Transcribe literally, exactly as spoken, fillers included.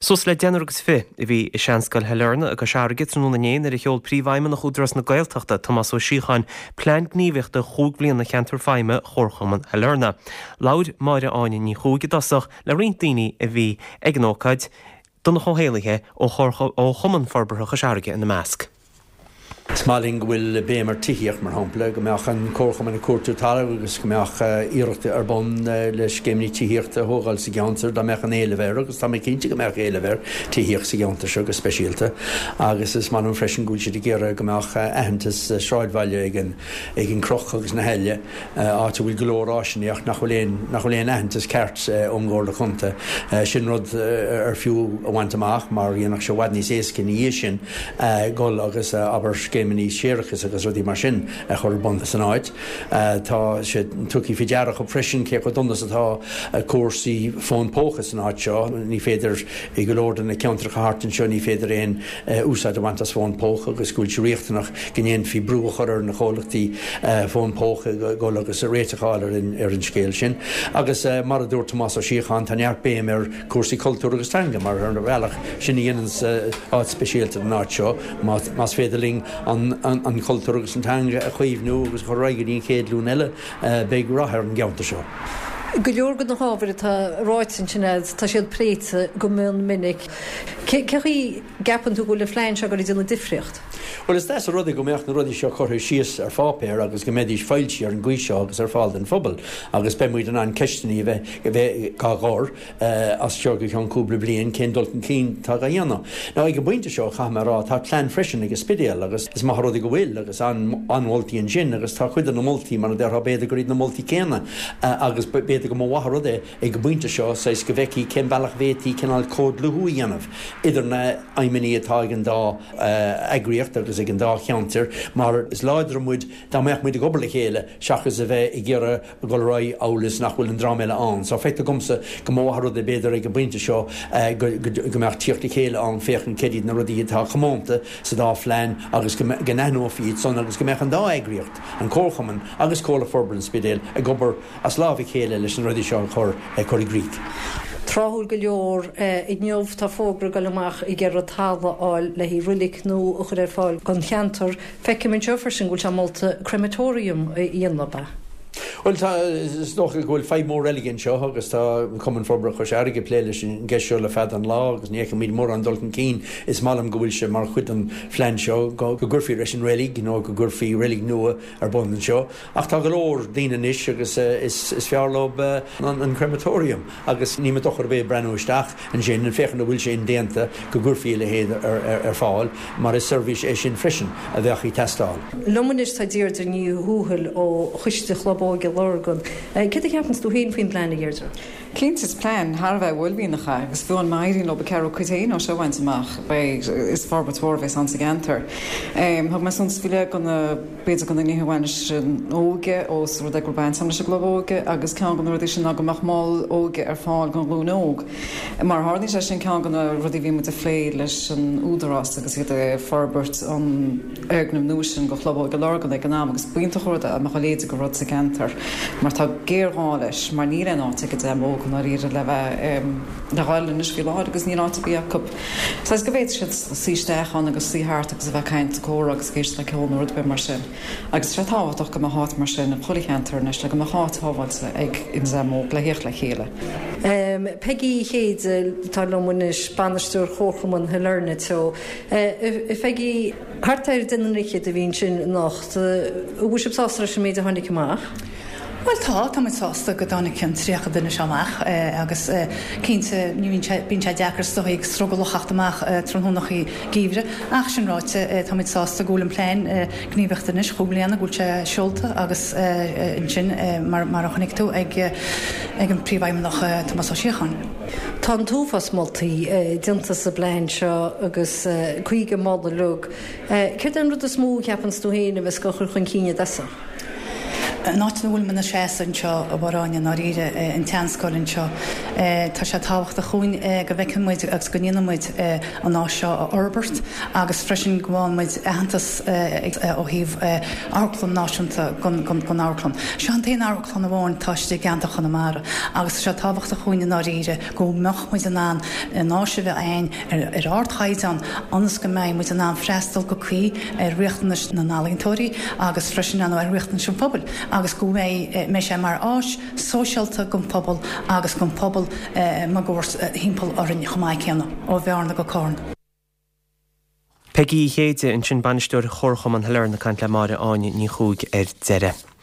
Suas le deichniúr agus fiche a bhí i Seanscoil Shailearna i gCois Fharraige tráthnóna inné nuair a sheol Príomhfheidhmeannach Údarás na Gaeltachta Tomás Ó Síocháin plean gníomhaíochta chúig bliana cheantar feidhme Chomharchumann Shailearna. Labhair Máire Áine Ní Chuaig i dtosach le roinnt daoine a bhí ag an ócáid Donncha Ó hÉalaithe ó Chumann Forbartha Chois Fharraige ina measc. Is maith linn go bhfuil béim ar tithíocht mar shampla, go mbeadh an comharchumann ag cuartú talamh agus go mbeadh iarracht ar bun le scéimeanna tithíochta a thógáil sa gceantar dá mbeadh an éileamh air agus tá mé cinnte go mbeadh éileamh ar tithíocht sa gceantar seo go speisialta agus is maith liom freisin go bhfuil siad ag iarraidh go mbeadh aitheantas sráidbhaile ag an ag an Chroch agus na hAille áit a bhfuil go leor áiseanna ach nach bhfuil aon nach bhfuil aon aitheantas ceart ón gComhairle Contae sin rud ar fiú a bhaint amach mar dhéanfadh sé i bhfad níos éasca ina dhiaidh sin dul agus abair scéimeanna séarachais agus rudaí mar sin a chur ar bun san áit. Tá sé tugtha faoi deara freisin cé chomh dona is atá cúrsaí fón póca san áit seo, ní féidir i go leor de na ceantracha thart anseo ní féidir aon úsáid a bhaint as fón póca agus go bhfuil sé riachtanach go ndéanfaí brú a chur ar na comhlachtaí fón póca dul agus réiteach a fháil ar an scéal sin. Agus mar a dúirt Tomás Ó Síocháin tá neart béim ar cúrsaí cultúr agus teanga mar ar bhealach sin a dhéanann áit speisialta den áit seo más féidir linn an, an, an cultúr agus an teanga a chaomhnú agus chur go dtí an chéad ghlúin eile beidh rath ar an gceantar seo. Go leor de na hábhair atá ráite ansin tá siad pléite go mion minic. Cé chaoi gceapann tú go bhfuil an plean seo ag déanamh difríocht? Well is deas an rud é go mbeadh na rudaí seo curtha síos ar pháipéar agus go mbeidís foilsithe ar an gcaoi seo agus ar fáil don phobal agus beidh muid in ann ceisteanna a bheith a bheith á gcur as seo go ceann cúpla bliain cén dul chun cinn atá á dhéanamh. Now ag an bpointe seo caithfidh mé rá tá plean freisin ag an Spidéal agus is maith rud go bhfuil agus an-mholtaí ansin agus tá cuid de na moltaí mar a déarfá b'fhéidir gur iad na moltaí céanna agus b'fhéidir go mba mhaith rud é ag an bpointe seo saghas go bhfeicfí cén bealach bhféadfaí cineál comhdhlúthú a dhéanamh idir na haidhmeanna atá ag an dá eagraíocht agus ag an dá cheantar mar is láidre muid dá mbeadh muid ag obair le chéile seachas a bheith ag iarraidh dul ar aghaidh amhail is nach bhfuil an dream eile ann. So feictear domsa go mba mhaith rud é b'fhéidir ag an bpointe seo go mbeadh tíocht le chéile ann féachaint céard iad na rudaí atá comónta sa dá phlean agus go n-aithneofaí iad san agus go mbeadh an dá eagraíocht, an Comharchumann agus Comhairle Forbartha an Spidéil ag obair as lámh a chéile leis na rudaí seo a chur cur i gcrích. Tráthúil go leor inniu tá fógra ag dul amach ag iarraidh talamh a fháil le haghaidh reilig nua a chur ar fáil don cheantar. Feicim anseo freisin go bhfuil sé molta crematorium a dhéanamh. Well tá is dócha go bhfuil fadhb mór eile anseo agus tá Cumann Forbartha Chois Fharraige ag plé leis an gceist seo le fada an lá agus ní fheicimid mórán dul chun cinn is maith liom go bhfuil sé mar chuid den phlean seo go gcuirfí leis an reilig nó go gcuirfí reilig nua ar bun anseo. Ach tá go leor daoine anois agus is, is fearr leo an, an crematorium agus ní mé dochar bheith breathnú isteach ansin an féachaint an bhfuil sé indéanta go gcuirfí a leithéid ar, ar, ar fáil mar is seirbhís é sin freisin a bheadh ag teastáil. Liom anois tá Deirdre Ní Thuathail ó Choiste Chlub Óige Lurgan. Céard a cheapann tú féin faoin bplean a Dheirdre? Cinnte is plean thar a bheith uaillmhianach é agus fiú má éiríonn leo ceathrú cuid féin ó seo a bhaint amach beidh is forbairt mhór a bheas ann sa gceantar. Thug mé suntas faoi leith go na b'fhéidir go na nithe a bhain leis an óige ós rud é go raibh baint leis an gclub óige agus ceann de na rudaí sin ná go mbeadh mol óige ar fáil don ghlúin óg. Mar tharlaíonn sé sin ceann de na rudaí a bhí muid ag plé leis an údarás agus iad ag forbairt an fhoirgneamh nua sin go Chlub Óige Lurgan ag an am agus b'iontach rud é mbeadh a leithéid de rud sa gceantar mar tá géarghá leis mar níl aon áit ag an dream óg dáiríre le bheith le dhul anois faoi láthair agus níl áit ar bith acu. Saghas go bhféadfadh siad suí isteach ann agus suí thart agus a bheith caint comhrá agus ag éisteacht le ceol nó rud ar bith mar sin. Agus sé tábhachtach go mbeadh áit mar sin i chuile cheantar anois le go mbeadh áit shábháilte ag an dream óg le theacht le chéile. Um, Peggy Chéide tá liom anois bainisteoir Chomharchumann Shailearna Teo. Uh, Peggy thart ar deich bhfichead a bhí ansin anocht, bhfuil sibh sásta leis an méid a tháinig amach? Well tá tá muid sásta go dtáinig an tríocha duine seo amach agus cinnte ní bíonn sé deacair stoí ag strugall teacht amach tráthnónachaí geimhridh ach sin ráite tá muid sásta go bhfuil an plean gníomhaíochta anois chúig bliana go bhfuil sé seolta agus ansin mar mar a chonaic tú ag ag an príomhfheidhmeannach Tomás Ó Síocháin. Tá an t-uafás moltaí déanta sa bplean seo agus caoga moladh. Céard an rud is mó a cheapann tú féin a bheas á chur chun cinn i dtosach? An áit ina bhfuil muid ina seasamh anseo a Mháire Áine i ndáiríre, an tseanscoil anseo, tá sé tábhachtach dhúinn go bhfeiceann muid agus go ndéanann muid an áis seo a fhorbairt agus freisin go bhfaigheann muid aitheantas ó thaobh amharclann náisiúnta don amharclann. Seo an t-aon amharclann amháin atá istigh i gceantar Chonamara agus tá sé tábhachtach dhúinn i ndáiríre go mbeadh muid in ann an áis a bheith againn ar ardchaighdeán ionas go mbeidh muid in ann freastal go cuí ar riachtanais na n-ealaíontóirí agus freisin ar riachtanais an phobail agus go mbeidh sé mar áis sóisialta don phobal agus don phobal máguaird thimpeall orainn chomh maith céanna, ó Bhearna go Carna. Peigí Uí Chéide ansin, Bainisteoir Chomharchumann Shailearna ag caint le Máire Áine Ní Chuaig ar deireadh.